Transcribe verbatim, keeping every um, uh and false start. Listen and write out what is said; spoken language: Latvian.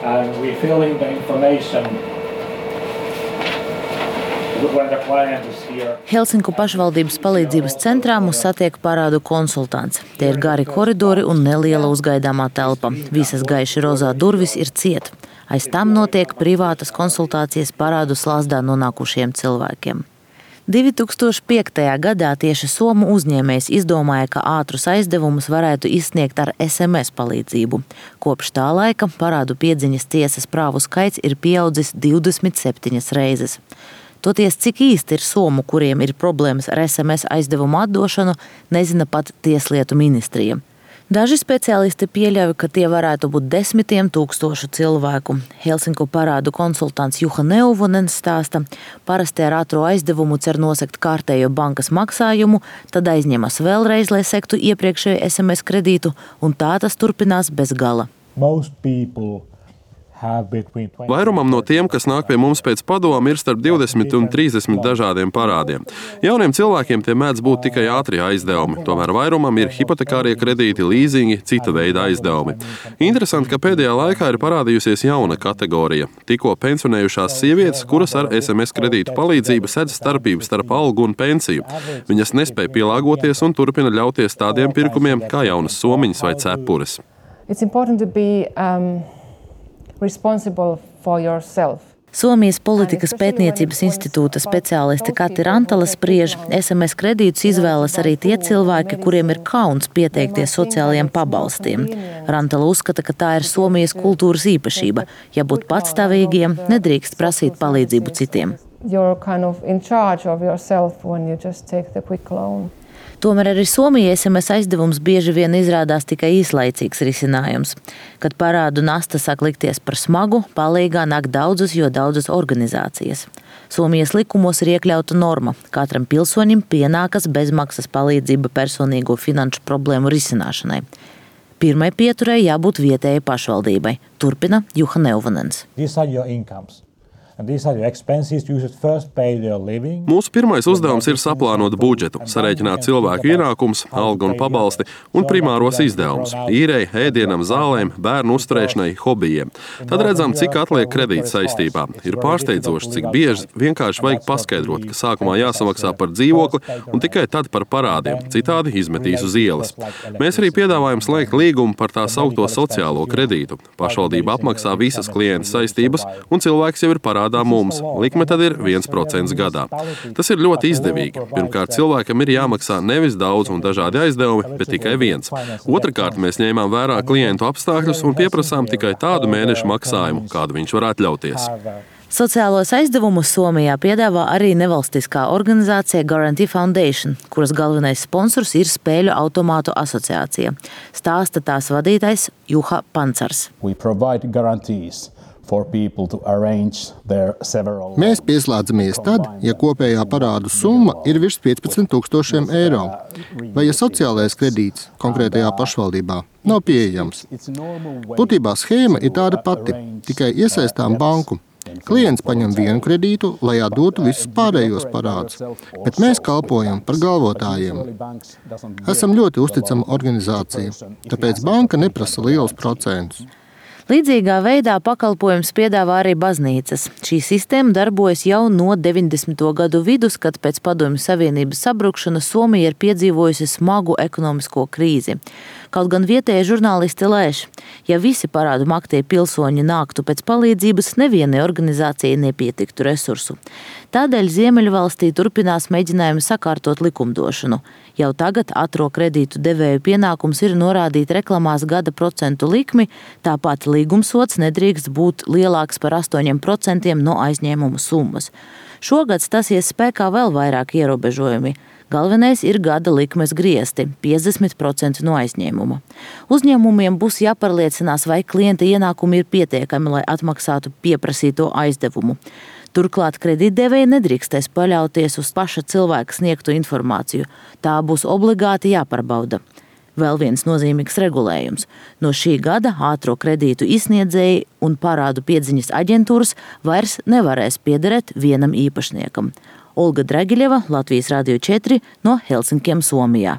and we fill in the information when the client is here. Helsinku pašvaldības palīdzības centrā mūs satiek parādu konsultants. Tie ir gari koridori un neliela uzgaidāmā telpa. Visas gaiši rozā durvis ir ciet. Aiz tam notiek privātas konsultācijas parādu slazdā nonākušiem cilvēkiem. divi tūkstoši piektajā gadā tieši somu uzņēmējs izdomāja, ka ātrus aizdevumus varētu izsniegt ar es em es palīdzību. Kopš tā laika parādu piedziņas tiesas prāvu skaits ir pieaudzis divdesmit septiņas reizes. Toties, cik īsti ir somu, kuriem ir problēmas ar es em es aizdevumu atdošanu, nezina pat Tieslietu ministrija. Daži speciālisti pieļauj, ka tie varētu būt desmitiem tūkstošu cilvēku. Helsinku parādu konsultants Juha Neuvonens stāsta, parasti ar ātro aizdevumu cer nosegt kārtējo bankas maksājumu, tad aizņemas vēlreiz, lai sektu iepriekšēju es em es kredītu, un tā tas turpinās bez gala. Vairumam no tiem, kas nāk pie mums pēc padomu, ir starp divdesmit un trīsdesmit dažādiem parādiem. Jauniem cilvēkiem tie mēdz būt tikai ātrie aizdevumi, tomēr vairumam ir hipotekārie kredīti, līzingi, cita veida aizdevumi. Interesanti, ka pēdējā laikā ir parādījusies jauna kategorija – tikko pensionējušās sievietes, kuras ar es em es kredītu palīdzību sedz starpību starp algu un pensiju. Viņas nespēja pielāgoties un turpina ļauties tādiem pirkumiem kā jaunas somiņas vai cepures. It's important to be, um... responsible for yourself. Somijas politikas pētniecības institūta speciālisti Kati Rantala spriež, es em es kredītus izvēlas arī tie cilvēki, kuriem ir kauns pieteikties sociālajiem pabalstiem. Rantala uzskata, ka tā ir Somijas kultūras īpašība. Ja būt patstāvīgiem, nedrīkst prasīt palīdzību citiem. You're kind of in charge of yourself when you just take the quick loan. Tomēr arī Somijai es em es aizdevums bieži vien izrādās tikai īslaicīgs risinājums. Kad parādu nasta sāk likties par smagu, palīgā nāk daudzas, jo daudzas organizācijas. Somijas likumos ir iekļauta norma. Katram pilsoņim pienākas bezmaksas palīdzība personīgo finanšu problēmu risināšanai. Pirmai pieturai jābūt vietējai pašvaldībai. Turpina Juha Neuvonens. Mūsu pirmais uzdevums ir saplānot budžetu, sarēķināt cilvēku ienākumus, algu un pabalsti un primāros izdevumus – īrei, ēdienam, zālēm, bērnu uzturēšanai, hobijiem. Tad redzam, cik atliek kredīta saistībā. Ir pārsteidzoši, cik bieži vienkārši vajag paskaidrot, ka sākumā jāsamaksā par dzīvokli un tikai tad par parādiem, citādi izmetīs uz ielas. Mēs arī piedāvājam slēgt līgumu par tā saukto sociālo kredītu. Pašvaldība apmaksā visas klienta saistības un cilvēks jau ir parādījis mums. Likme tad ir viens procents gadā. Tas ir ļoti izdevīgi. Pirmkārt, cilvēkam ir jāmaksā nevis daudz un dažādi aizdevumi, bet tikai viens. Otrakārt, mēs ņēmām vērā klientu apstākļus un pieprasām tikai tādu mēnešu maksājumu, kādu viņš var atļauties. Sociālos aizdevumus Somijā piedāvā arī nevalstiskā organizācija Guarantee Foundation, kuras galvenais sponsors ir Spēļu automātu asociācija. Stāsta tās vadītājs Juha Pancars. Mēs pieslēdzamies tad, ja kopējā parādu summa ir virs piecpadsmit tūkstošiem eiro, vai ja sociālais kredīts konkrētajā pašvaldībā nav pieejams. Būtībā schēma ir tāda pati, tikai iesaistām banku. Klients paņem vienu kredītu, lai atdotu visus pārējos parādus, bet mēs kalpojam par galvotājiem. Esam ļoti uzticama organizācija, tāpēc banka neprasa lielus procentus. Līdzīgā veidā pakalpojums piedāvā arī baznīcas. Šī sistēma darbojas jau no deviņdesmito gadu vidus, kad pēc Padomju Savienības sabrukšanas Somija ir piedzīvojusi smagu ekonomisko krīzi. Kaut gan vietējie žurnālisti lēš, ja visi parādu maktie pilsoņi nāktu pēc palīdzības, nevienai organizācijai nepietiktu resursu. Tādēļ Ziemeļvalstī turpinās mēģinājumi sakārtot likumdošanu. Jau tagad ātro kredītu devēju pienākums ir norādīt reklamās gada procentu likmi, tāpat līgumsots nedrīkst būt lielāks par astoņiem procentiem no aizņēmuma summas. Šogad stāsies spēkā vēl vairāk ierobežojumi. Galvenais ir gada likmes griesti – piecdesmit procenti no aizņēmuma. Uzņēmumiem būs jāpārliecinās, vai klienta ienākumi ir pietiekami, lai atmaksātu pieprasīto aizdevumu. Turklāt kredītdevēji nedrīkstēs paļauties uz paša cilvēka sniegto informāciju. Tā būs obligāti jāpārbauda. Vēl viens nozīmīgs regulējums. No šī gada ātro kredītu izsniedzēji un parādu piedziņas aģentūras vairs nevarēs piederēt vienam īpašniekam. Olga Dragiļeva, Latvijas Radio četri no Helsinkiem, Somijā.